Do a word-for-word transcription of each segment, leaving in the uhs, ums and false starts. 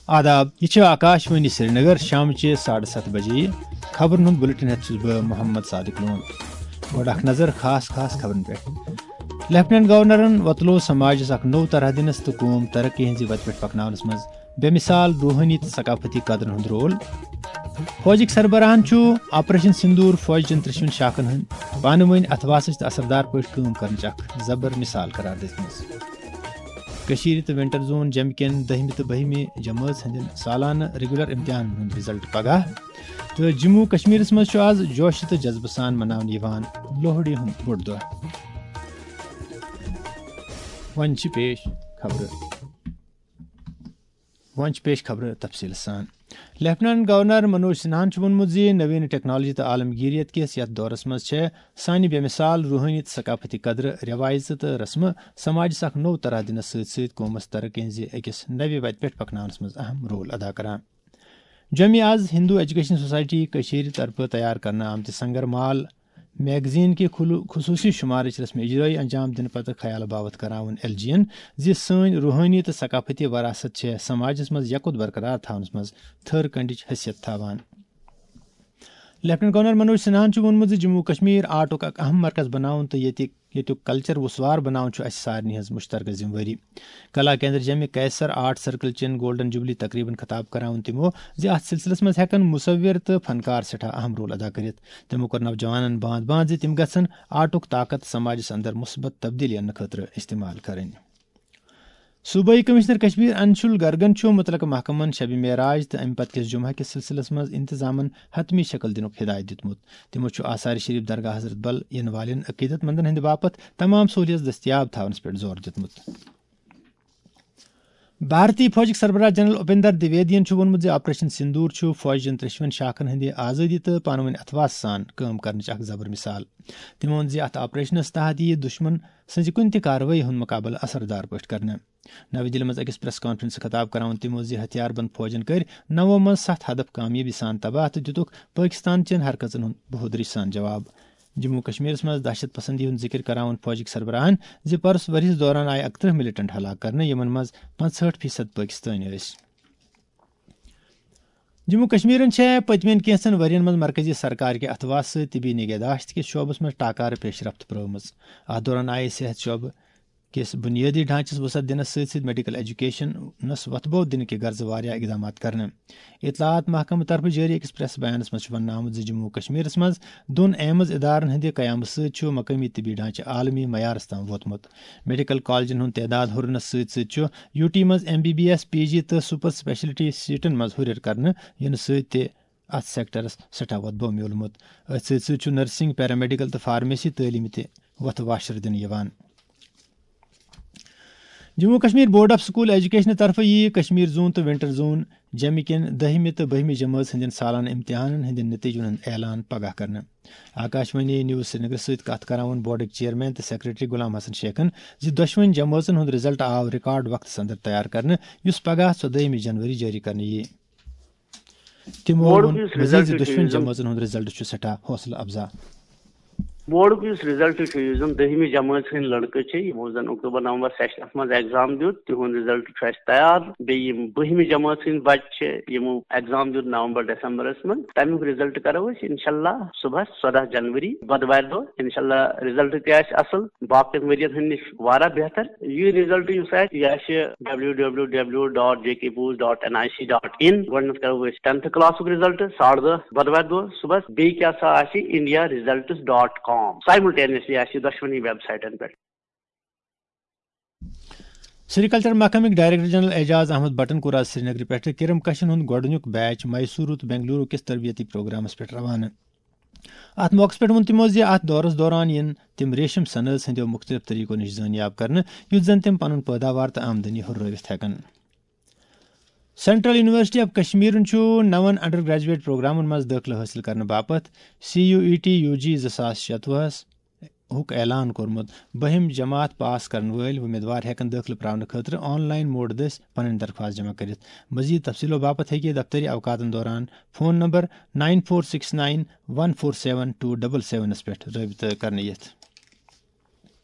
آداب، یہِ چھِ آکاش وانی سرینگر، شامچہِ ساڑٕ ستھ بجے۔ خبرن ہُنٛد بُلٹن ہٮ۪تھ چھُس بہٕ محمد صادق لون۔ گۄڈٕ اکھ نظر خاص خاص خبرن پٮ۪ٹھ۔ لیفٹیننٹ گورنرن وۄتلوو سماجس اکھ نوٚو طرح دِنس تہٕ قوم ترقی ہٕنٛزِ وتہِ پٮ۪ٹھ پکناونس منٛز بے مثال روحٲنی تہٕ ثقافتی قدرن ہُنٛد رول۔ فوجٕکۍ سربراہن چھُ آپریشن سندور فوج چٮ۪ن ترٛٮ۪شوٕنۍ شاخن ہٕنٛدۍ پانہٕ وٲنۍ اتھواسٕچ تہٕ اثردار پٲٹھۍ کٲم کرنٕچ اکھ زبر مثال قرار دِژمٕژ۔ کٔشیٖرِ تہٕ ونٹر زون جمہِ کٮ۪ن دٔہمہِ تہٕ بٔہمہِ جمٲژ ہٕنٛدٮ۪ن سالانہٕ ریگولر امتحانن ہُنٛد رزلٹ پگاہ۔ تہٕ جموں کشمیرس منٛز چھُ آز جوشہٕ تہٕ جذبہٕ سان مناونہٕ یِوان لوہڑی ہُنٛد بوٚڑ دۄہ۔ وۄنۍ چھِ پیش خبرٕ۔ وۄنۍ چھِ پیش خبرٕ تفصیٖل سان۔ لیفٹیننٹ گورنر منوج سنہاہن چھُ ووٚنمُت زِ نوین ٹیکنالوجی تہٕ عالمگیریت کِس یتھ دورس منٛز چھےٚ سانہِ بے مثال روحٲنی تہٕ ثقافتی قدرٕ، رٮ۪وایژٕ تہٕ رسمہٕ سماجس اکھ نوٚو طرح دِنس سۭتۍ سۭتۍ قومس ترقی ہٕنٛزِ أکِس نوِ وتہِ پٮ۪ٹھ پکناونس منٛز اہم رول ادا کران۔ جوٚمہِ آز ہندو ایجوکیشن سوسائٹی کٔشیٖرِ طرفہٕ تیار کرنہٕ آمتہِ سنگر مال میگزین کہِ خلو-، خصوٗصی شمارٕچ رسم اجرٲیی انجام دِنہٕ پتہٕ خیال باوتھ کراوُن ایل جی ین زِ سٲنۍ روحٲنی تہٕ ثقافتی وراثت چھےٚ سماجس منٛز یکوت برقرار تھاونس منٛز تھٔر کنڈٕچ حیثیت تھاوان۔ لیفٹیننٹ گورنر منوج سنہاہن چھُ ووٚنمُت زِ جموں و کشمیر آرٹُک اکھ اہم مرکز بناوُن تہٕ ییٚتہِ ییٚتیُک کلچر وسوار بناوُن چھُ اسہِ سارنٕے ہٕنٛز مشترکہ ذمہٕ وٲری۔ کلا کیندر جمہِ کیسر آرٹ سرکل چٮ۪ن گولڈن جوبلی تقریبن خطاب کران ووٚن تِمو زِ اتھ سلسلس منٛز ہٮ۪کن مصور تہٕ فنکار سٮ۪ٹھاہ اہم رول ادا کٔرِتھ۔ تِمو کوٚر نوجوانن باند باند زِ تِم گژھن آرٹُک طاقت سماجس اندر مثبت تبدیلی اننہٕ خٲطرٕ استعمال کرٕنۍ۔ صوبٲئی کمشنر کشمیر انشول گرگن چھُ متعلقہٕ محکمن شبِ معراج تہٕ امہِ پتہٕ کِس جمعہ کِس سلسلس منٛز انتظامن حتمی شکل دِنُک ہدایت دیُتمُت۔ تِمو چھُ آثار شریف درگاہ حضرت بل یِنہٕ والٮ۪ن عقیدت مندن ہٕنٛدِ باپتھ تمام سہولیژ دٔستیاب تھاونس پٮ۪ٹھ زور دیُتمُت۔ بھارتی فوجٕکۍ سربراہ جنرل اپیندر دویدین چھُ ووٚنمُت زِ آپریشن سندور چھُ فوجچن ترٛیشوٕنۍ شاخن ہٕنٛدِ آزٲدی تہٕ پانہٕ ؤنۍ اتھواس سان کٲم کرنٕچ اکھ زبر مثال۔ تٔمۍ ووٚن زِ اتھ آپریشنس تحت یِیہِ دُشمن سٕنزِ کُنہِ تہِ کاروٲیی ہُنٛد مُقابلہٕ اثردار پٲٹھۍ کرنہٕ۔ نَوِ دِلہِ منٛز أکِس پریس کانفرنس خطاب کران ووٚن تِمو زِ ہتھیار بند فوجن کٔرۍ نَوو منٛز ستھ ہدف کامیٲبی سان تباہ تہٕ دِتُکھ پٲکستان چٮ۪ن حرکژن ہُنٛد بہودری سان جواب۔ جموں و کشمیرس منٛز دہشت پسندی ہُنٛد ذکر کران ووٚن فوجٕکۍ سربراہن زِ پرُس ؤرِہِس دوران آیہِ اکترٕہ ملیٹنٹ ہلاک کرنہٕ، یِمن منٛز پانٛژہٲٹھ فیصد پٲکستٲنۍ ٲسۍ۔ جموں و کشمیرن چھےٚ پٔتمٮ۪ن کینٛژن ؤرین منٛز مرکزی سرکار کہِ اتھواسہٕ سۭتۍ طبی نگہداشت کِس شعبس منٛز ٹاکارٕ پیش رفت پرٲومٕژ۔ اتھ دوران آیہِ صحت شعبہٕ کِس بنیٲدی ڈھانچس وسعت دِنس سۭتۍ سۭتۍ میڈیکل ایجوکیشنس وۄتھٕ بوٚو دِنہٕ کہِ غرضہٕ واریاہ اقدامات کرنہٕ۔ اطلاعات محکمہٕ طرفہٕ جٲری أکِس پریس بیانس منٛز چھُ وننہٕ آمُت زِ جموں و کشمیرس منٛز دۄن ایمز ادارن ہٕنٛدِ قیامہٕ سۭتۍ چھُ مقٲمی طبی ڈھانچہٕ عالمی معیارس تام ووتمُت۔ میڈیکل کالجن ہُنٛد تعداد ہُرنس سۭتۍ سۭتۍ چھُ یوٗ ٹی منٛز M B B S, P G تہٕ سپر اسپیشلٹی سیٹن منٛز ہُرٮ۪ر کرنہٕ یِنہٕ سۭتۍ تہِ اتھ سیکٹرس سٮ۪ٹھاہ وۄتھٕ بوٚو میوٗلمُت۔ أتھۍ سۭتۍ سۭتۍ چھُ نرسنگ، پیرامیڈیکل تہٕ فارمیسی تعلیمہِ تہِ وۄتھٕ واشر دِنہٕ یِوان۔ جموں و Kashmir board of school education طرفہٕ یِیہِ کشمیر زون تہٕ ونٹر زون جمہِ کٮ۪ن دٔہمہِ تہٕ بٔہمہِ جمٲژ ہٕنٛدٮ۪ن سالانہٕ امتحانن ہٕنٛدٮ۪ن نتیجن ہُنٛد اعلان پگاہ کرنہٕ۔ آکاشوانی نیوز سرینگر سۭتۍ کتھ کران ووٚن بورڈٕکۍ چیئرمین تہٕ سیکرٹری غلام حسن شیخن زِ دۄشوٕنۍ جمٲژن ہُنٛد رزلٹ آو ریکارڈ وقتس اندر تیار کرنہٕ، یُس پگاہ ژۄدٲہمہِ جنوری جٲری کرنہٕ یِیہِ۔ تِمو بورڈُک ووٚن یُس مزید رزلٹ زِ چھُ، دۄشوٕنۍ یُس زن جمٲژن ہُنٛد رزلٹ چھُ سٮ۪ٹھاہ حوصلہٕ افزا۔ بورڈُک یُس رزلٹ چھُ، یُس زن دٔہمہِ جمٲژ ہٕنٛدۍ لڑکہٕ چھِ، یِمو زن اکتوبر نومبر سیشنس منٛز ایگزام دیُت، تِہُنٛد رزلٹ چھُ اَسہِ تیار۔ بیٚیہِ یِم بٔہمہِ جمٲژ ہٕنٛدۍ بچہِ چھِ، یِمو ایگزام دیُت نومبر دسمبرس منٛز، تمیُک رزلٹ کرو أسۍ انشاءاللہ صبحس ژۄدہ جنوری بۄدوارِ دۄہ۔ انشاءاللہ رزلٹ تہِ آسہِ اصل، باقین ؤرین ہٕنٛدِ نِش واریاہ بہتر۔ یہِ رزلٹ یُس آسہِ، یہِ آسہِ W W W dot J K bose dot N I C dot in. گۄڈٕنیتھ کرو أسۍ ٹینتھ کلاسُک رزلٹ ساڑٕ دہ بۄدوارِ دۄہ صبحس۔ بیٚیہِ کیٛاہ سا آسہِ، انڈیا رزلٹس ڈاٹ کام۔ سایملٹینیسلی آسہِ یہِ دۄشوٕنی ویب سایٹن پٮ۪ٹھ۔ سیریکلچر محکمٕکۍ ڈائریکٹر جنرل اعجاز احمد بٹن کوٚر آز سرینگرٕ پٮ۪ٹھٕ کرم کشن ہُنٛد گۄڈٕنیُک بیچ میسورو تہٕ بنگلورو کِس تربیتی پروگرامس پٮ۪ٹھ روانہٕ۔ اتھ موقعس پٮ۪ٹھ ووٚن تِمو زِ اتھ دورس دوران یِن تِم ریشم سنٲژ ہٕنٛدیو مُختٔلِف طریقو نِش زٲنیاب کرنہٕ، یُتھ زن تِم پنُن پٲداوار تہٕ آمدنی ہُررٲوِتھ ہٮ۪کن۔ سینٹرل یونیورسٹی آف کشمیرن چھُ نون انڈر گریجویٹ پروگرامن منٛز دٲخلہٕ حٲصِل کرنہٕ باپتھ C U E T U G زٕ ساس شتوُہس ہُک اعلان کوٚرمُت۔ بٔہِم جماعت پاس کرن وٲلۍ وۄمیدوار ہٮ۪کن دٲخلہٕ پراونہٕ خٲطرٕ آن لائن موڈ دٔسۍ پنٕنۍ درخواست جمع کٔرِتھ۔ مزید تفصیلو باپتھ ہیٚکہِ دفتری اوقاتن دوران phone number nine four six nine one four seven two double سیونس پٮ۪ٹھ رٲبطہٕ کرنہٕ یِتھ۔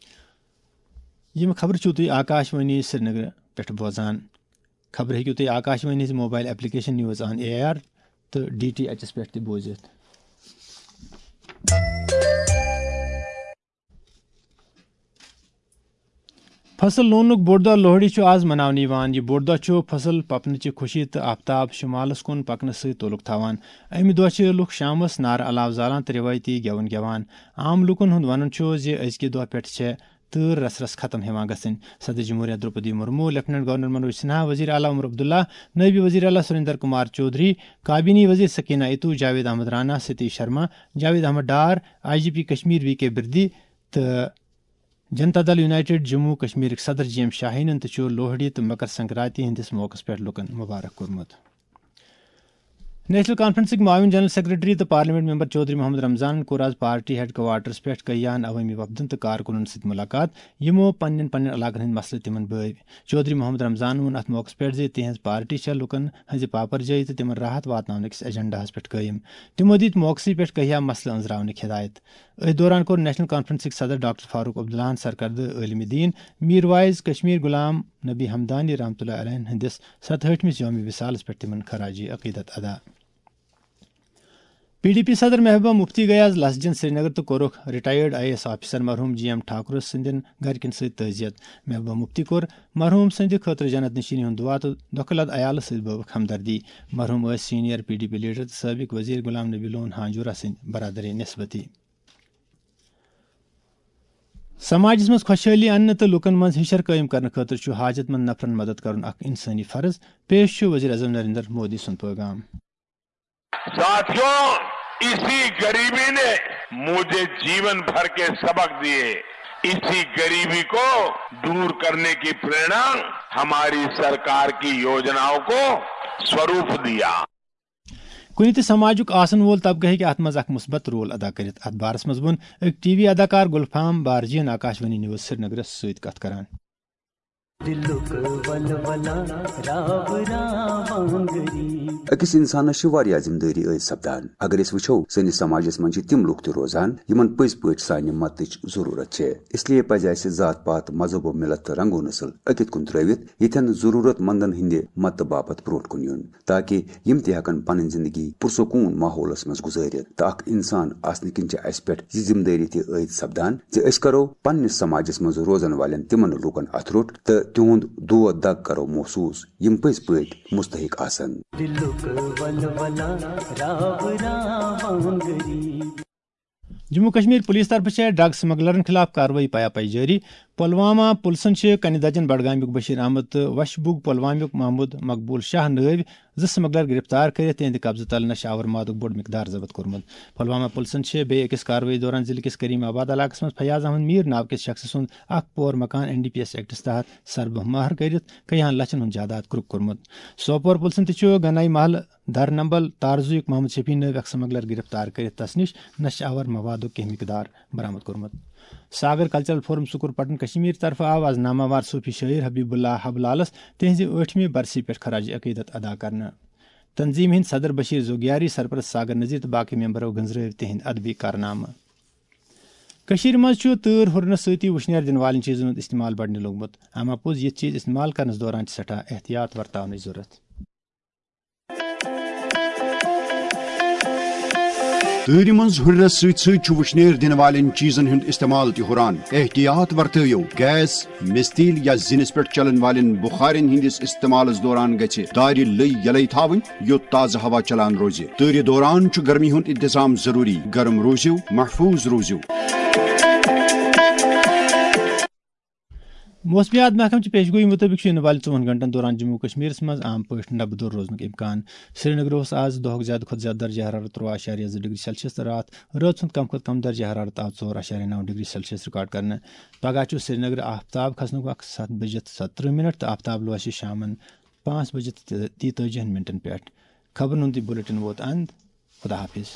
یِم خبرٕ چھِو تُہۍ آکاشوانی سرینگرٕ پٮ۪ٹھ بوزان۔ خبرٕ ہیٚکِو تُہۍ آکاش وانی ہٕنٛزِ mobile application news on A R تہٕ ڈی ٹی ایچس پٮ۪ٹھ تہِ بوٗزِتھ۔ فصل لوننُک بوٚڑ دۄہ لوہڑی چھُ آز مناونہٕ یِوان۔ یہِ بوٚڑ دۄہ چھُ فصل پپنٕچہِ خوشی تہٕ آفتاب شمالس کُن پکنہٕ سۭتۍ تعلق تھاوان۔ اَمہِ دۄہ چھِ لُکھ شامس نارٕ علاوٕ زالان تہٕ رٮ۪وٲیتی گٮ۪وُن گٮ۪وان۔ عام لوٗکن ہُنٛد وَنُن چھُ زِ أزکہِ دۄہ پٮ۪ٹھ چھےٚ تۭر رس رس ختم ہٮ۪وان گژھٕنۍ۔ صدر جمہوریہ درٛوپدی مرمو، لیفٹیننٹ گورنر منوج سنہا، وزیر اعلیٰ عمر عبداللہ، نٲیب وزیر اعلیٰ سریندر کمار چودھری، کابینی وزیر Sakina Itoo, Javed Ahmad Rana, Satish Sharma, Javed Ahmad Dar, I G P Kashmir V K Birdi تہٕ جنتا دل یونائیٹڈ جموں کشمیرٕکۍ صدر جی ایم شاہینن تہِ چھُ لوہڑی تہٕ مکر سنکرانتی ہٕنٛدِس موقعس پٮ۪ٹھ لوٗکن مبارک کوٚرمُت۔ نیشنل کانفرنسٕکۍ معاون جنرل سیکرٹری تہٕ پارلیمنٹ ممبر چودھری محمد رمضانن کوٚر آز پارٹی ہیڈ کوارٹرس پٮ۪ٹھ کیان عوٲمی وفدن تہٕ کارکُنن سۭتۍ مُلاقات، یِمو پننٮ۪ن پننٮ۪ن علاقن ہٕنٛدۍ مسلہٕ تِمن بٲوۍ۔ چودھری محمد رمضانن ووٚن اتھ موقعس پٮ۪ٹھ زِ تِہنٛز پارٹی چھےٚ لوٗکن ہٕنٛزِ پاپرجٲیی تہٕ تِمن راحت واتناونہٕ کِس ایجنڈاہس پٮ۪ٹھ قٲیِم۔ تِمو دِتۍ موقعسٕے پٮ۪ٹھ کیاہ مسلہٕ أنٛزراونٕکۍ ہدایت۔ أتھۍ دوران کوٚر نیشنل کانفرنسٕکۍ صدر ڈاکٹر فاروق عبداللہن سرکردٕ عٲلمِ دیٖن میر واعظ کشمیر غلام نبی حمدانی رحمتہ اللہ علیہ ہٕنٛدِس ستہٲٹھمِس یومِ وصالس پٮ۪ٹھ تِمن خراج عقیدت ادا۔ پی ڈی پی صدر محبوبہ مفتی گٔیہِ آز لس جِن سرینگر تہٕ کوٚرُکھ retired I A S officer مرحوم جی ایم ٹھاکرس سٕنٛدٮ۪ن گرِکٮ۪ن سۭتۍ تعزیت۔ محبوبہ مفتی کوٚر مرحوم سٕنٛدِ خٲطرٕ جنت نشیٖنی ہُنٛد دُعا تہٕ دۄکھٕ لد عیالس سۭتۍ بٲوٕکھ ہمدردی۔ مرحوم ٲسۍ senior P D P leader تہٕ سٲبق وزیر غلام نبی لون ہانجورہ سٕنٛدۍ برادری نسبتی۔ سماجس منٛز خۄشحٲلی اننہٕ تہٕ لوٗکن منٛز ہِشر قٲیِم کرنہٕ خٲطرٕ چھُ حاجت مند نفرن مدد کرُن اکھ انسٲنی فرض۔ پیش چھُ وزیر اعظم نریندر مودی سُنٛد پیغام۔ ساتھیوں، اسی غریبی نے مجھے جیون بھر کے سبق دیے۔ اسی غریبی کو دور کرنے کی प्रेरणा हमारी सरकार की योजनाओं को स्वरूप दिया। کُنہِ تہِ سماجُک آسن وول طبقہٕ ہیٚکہِ اتھ منٛز اکھ مثبت رول ادا کٔرِتھ۔ اتھ بارس منٛز ووٚن أکۍ ٹی وی اداکار گُلفام بارجین آکاش وانی نیوز سرینگرس سۭتۍ کتھ کران۔ دلُک ولولہ راو راوانگری۔ أکِس اِنسانَس چھِ واریاہ ذِمہٕ دٲری عٲید سپدان۔ اگر أسۍ وٕچھو، سٲنِس سماجَس منٛز چھِ تِم لُکھ تہِ روزان، یِمَن پٔزۍ پٲٹھۍ سانہِ مدتٕچ ضروٗرت چھِ۔ اس لیے پَزِ اَسہِ ذات پات، مذہب و مِلت تہٕ رنگ و نسل أکِتھ کُن ترٲوِتھ، ییٚتٮ۪ن ضروٗرت مندَن ہٕنٛدِ مدتہٕ باپتھ برونٛٹھ کُن یُن، تاکہ یِم تہِ ہٮ۪کَن پنٕنۍ زندگی پُرسکوٗن ماحولَس منٛز گُزٲرِتھ۔ تہٕ اکھ اِنسان آسنہٕ کِنۍ چھِ اَسہِ پٮ۪ٹھ یہِ ذِمہٕ دٲری تہِ عٲید سپدان زِ أسۍ کرو پننِس سماجس منٛز روزن والٮ۪ن تِمن لوٗکن اتھٕ روٚٹ تہٕ تِہُنٛد دود دگ کرو محسوٗس، یِم پٔزۍ پٲٹھۍ مستحق آسن۔ دلُک ولولہ راو راوانگری۔ جموں کشمیر پولیس طرفہٕ چھےٚ ڈرگ سمگلرن خلاف کاروٲیی پیا پی جٲری۔ پلوامہ پُلسن چھِ کنہِ دجن بڈگامیُک بشیر احمد تہٕ وشبوگ پلوامیُک محمود مقبول شاہ نٲوۍ زٕ سمگلر گرفتار کٔرِتھ تِہنٛدِ قبضہٕ تل نشہٕ آور مادُک بوٚڑ مقدار ضبط کوٚرمُت۔ پلوامہ پُلسن چھِ بیٚیہِ أکِس کاروٲیی دوران ضلعہٕ کِس کریم آباد علاقس منٛز فیاض احمد میر ناوٕ کِس شخصہٕ سُنٛد اکھ پور مکان این ڈی پی ایس ایکٹس تحت سربہٕ مہر کٔرِتھ کیاہن لچھن ہُنٛد جائیداد کرُک کوٚرمُت۔ سوپور پُلسن تہِ چھُ گنائی محلہٕ در نمبل تارزویُک محمد شفیع نٲوۍ اکھ سمگلر گرفتار کٔرِتھ تس نِش نشہٕ آور موادُک کینٛہہ مقدار برآمد کوٚرمُت۔ ساگر کلچرل فورم سکوٗل پٹن کشمیر طرفہٕ آو از ناماوار صوفی شٲعر حبیب اللہ حب لالس تِہنٛزِ ٲٹھمہِ برسی پٮ۪ٹھ خراج عقیدت ادا کرنہٕ۔ تنظیمہِ ہٕنٛدۍ صدر بشیر زوگیاری، سرپرست ساگر نذیر تہٕ باقٕے ممبرو گٔنزرٲوۍ تِہنٛدۍ ادبی کارنامہٕ۔ کٔشیٖرِ منٛز چھُ تۭر ہُرنہٕ سۭتی وُشنیر دِنہٕ والٮ۪ن چیٖزن ہُنٛد استعمال بڑنہِ لوٚگمُت۔ اما پوٚز، یِتھۍ چیٖز استعمال کرنس دوران چھِ سٮ۪ٹھاہ احتیاط ورتاونٕچ ضروٗرت۔ تۭرِ منٛز ہُرنس سۭتۍ سۭتۍ چھُ وُشنیر دِنہٕ والٮ۪ن چیٖزن ہُنٛد استعمال تہِ ہُران۔ احتیاط ورتٲیِو۔ گیس، مِستیٖل یا زِنِس پٮ۪ٹھ چلن والٮ۪ن بُخارٮ۪ن ہٕنٛدِس استعمالس دوران گژھِ دارِ لٔے یلے تھاوٕنۍ، یوٚت تازٕ ہوا چلان روزِ۔ تۭرِ دوران چھُ گرمی ہُنٛد انتظام ضروٗری۔ گرم روٗزِو، محفوٗظ روٗزِو۔ موسمیات محکمہٕ چہِ پیشگویی مُطٲبِق چھُ یِنہٕ والہِ ژوٚوُہن گھنٹن دوران جموں و کشمیرس منٛز عام پٲٹھۍ نبہٕ دوٚر روزنُک امکان۔ سرینگرٕ اوس آز دۄہُک زیادٕ کھۄتہٕ زیادٕ درجہ حرارت تُرٛواہ اعشاریہ زٕ ڈگری سیلسیس تہٕ راتھ رٲژ ہُنٛد کم کھۄتہٕ کم درجہ حرارت آو ژور اعشاریہ نو ڈگری سیلسیس رِکارڈ کرنہٕ۔ پگاہ چھُ سرینگرٕ آفتاب کھسنُک وقت ستھ بجِتھ ستترٕہ منٹ تہٕ آفتاب لوسہِ شامن پانٛژھ بجِتھ تہٕ تیتٲجِہن منٹن پٮ۪ٹھ۔ خبرن ہُنٛد یہِ بُلٹن ووت اند۔ خدا حافظ۔